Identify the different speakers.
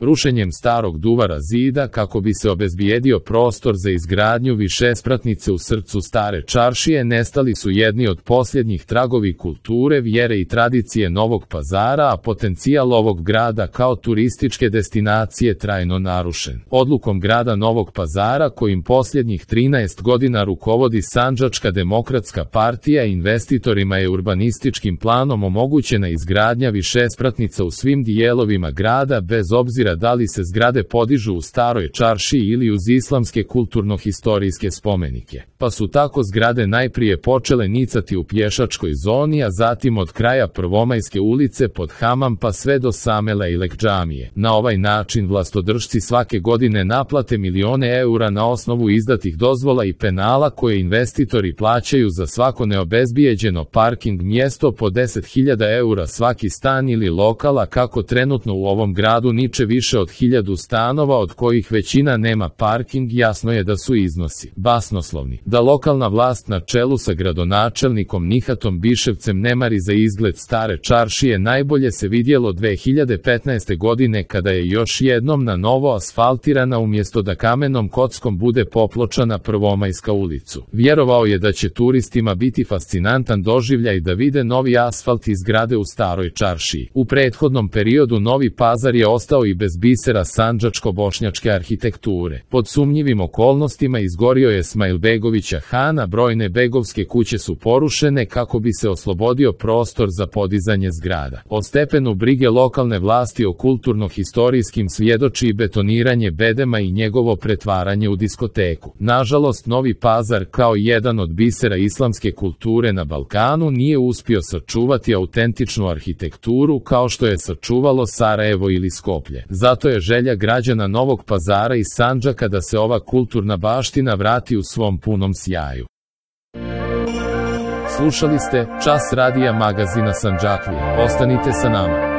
Speaker 1: Rušenjem starog duvara zida kako bi se obezbijedio prostor za izgradnju višespratnice u srcu stare čaršije nestali su jedni od posljednjih tragovi kulture, vjere i tradicije Novog Pazara, a potencijal ovog grada kao turističke destinacije trajno narušen. Odlukom grada Novog Pazara, kojim posljednjih 13 godina rukovodi Sandžačka demokratska partija, investitorima je urbanističkim planom omogućena izgradnja višespratnica u svim dijelovima grada bez obzira da li se zgrade podižu u staroj čaršiji ili uz islamske kulturno-historijske spomenike. Pa su tako zgrade najprije počele nicati u pješačkoj zoni, a zatim od kraja Prvomajske ulice pod Hamam pa sve do same Lejlek džamije. Na ovaj način vlastodržci svake godine naplate milione eura na osnovu izdatih dozvola i penala koje investitori plaćaju za svako neobezbijeđeno parking mjesto po 10.000 eura svaki stan ili lokala, kako trenutno u ovom gradu niče više od 1000 stanova od kojih većina nema parking. Jasno je da su iznosi basnoslovni. Da lokalna vlast na čelu sa gradonačelnikom Nihatom Biševcem ne mari za izgled stare čaršije najbolje se vidjelo 2015. godine kada je još jednom na novo asfaltirana umjesto da kamenom kockom bude popločana Prvomajska ulicu. Vjerovao je da će turistima biti fascinantan doživljaj da vide novi asfalt iz zgrade u staroj čaršiji. U prethodnom periodu Novi Pazar je ostao i bez bisera sandžačko-bošnjačke arhitekture. Pod sumnjivim okolnostima izgorio je Smajlbegovića Hana, brojne begovske kuće su porušene kako bi se oslobodio prostor za podizanje zgrada. O stepenu brige lokalne vlasti o kulturno-historijskim svjedoči i betoniranje bedema i njegovo pretvaranje u diskoteku. Nažalost, Novi Pazar kao jedan od bisera islamske kulture na Balkanu nije uspio sačuvati autentičnu arhitekturu kao što je sačuvalo Sarajevo ili Skoplje. Zato je želja građana Novog Pazara i Sandžaka da se ova kulturna baština vrati u svom punom sjaju. Slušali ste Čas radija magazina Sandžaklija. Ostanite sa nama.